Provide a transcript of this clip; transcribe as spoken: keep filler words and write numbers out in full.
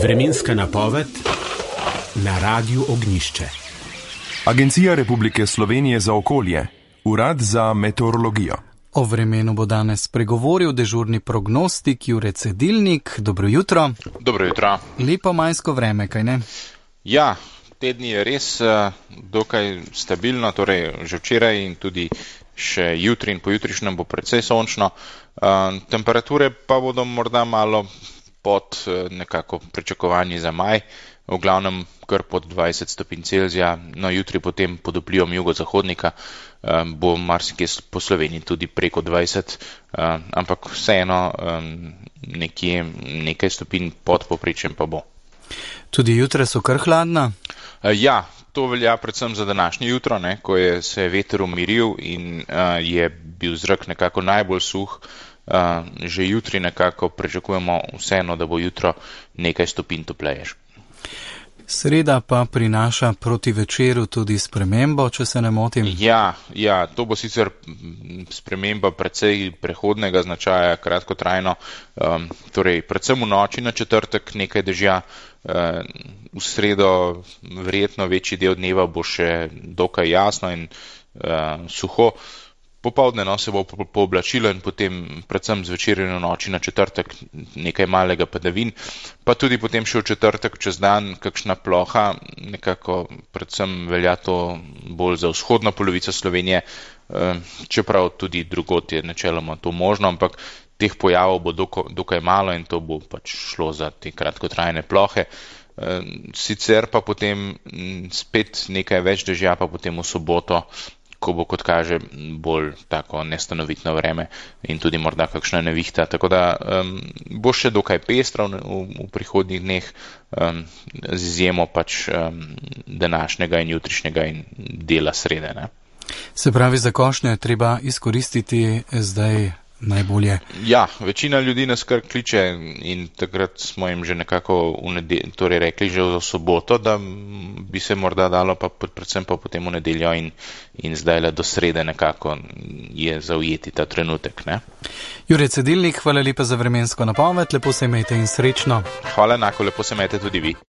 Vremenska napoved na Radiu Ognjišče. Agencija Republike Slovenije za okolje, Urad za meteorologijo. O vremenu bo danes pregovoril dežurni prognostik Jure Cedilnik. Dobro jutro. Dobro jutro. Lepo majsko vreme, kaj ne? Ja, tedni je res uh, dokaj stabilno, torej že včeraj in tudi še jutri in pojutrišnjem bo precej sončno. Uh, temperature pa bodo morda malo pod uh, nekako pričakovanji za maj, v glavnem kar pod dvajset stopinj Celzija, no jutri potem pod vplivom jugozahodnika um, bo marsikje po Sloveniji tudi preko dvajset, uh, ampak vseeno um, nekje nekaj stopinj pod povprečjem pa bo. Tudi jutre so kar hladna? Uh, ja, to velja predvsem za današnje jutro, ne, ko je se veter umiril in uh, je bil zrak nekako najbolj suh. Uh, že jutri nekako pričakujemo vseeno, da bo jutro nekaj stopinj topleje. Sreda pa prinaša proti večeru tudi spremembo, če se ne motim. Ja, ja, to bo sicer sprememba precej prehodnega značaja, kratkotrajno, um, torej predvsem v noči na četrtek nekaj dežja, uh, v sredo verjetno večji del dneva bo še dokaj jasno in uh, suho. Popoldne no, se bo pooblačilo in potem predvsem zvečer in v noči na četrtek nekaj malega padavin, pa tudi potem še v četrtek čez dan kakšna ploha, nekako predvsem velja to bolj za vzhodno polovico Slovenije, čeprav tudi drugod je načeloma to možno, ampak teh pojavov bo dokaj malo in to bo pač šlo za te kratkotrajne plohe. Sicer pa potem spet nekaj več dežja, pa potem v soboto, ko bo, kot kaže, bolj tako nestanovitno vreme in tudi morda kakšna nevihta. Tako da um, bo še dokaj pestro v, v prihodnjih dneh, um, z izjemo pač um, današnjega in jutrišnjega in dela srede. Ne? Se pravi, za košnjo je treba izkoristiti zdaj najbolje. Ja, večina ljudi nas kar kliče in takrat smo jim že nekako v nedeljo, torej rekli že v soboto, da bi se morda dalo, pa predvsem pa potem v nedeljo in, in zdajle do srede nekako je zaujeti ta trenutek. Ne? Jure Cedilnik, hvala lepa za vremensko napoved, lepo se imejte in srečno. Hvala enako, lepo se imejte tudi vi.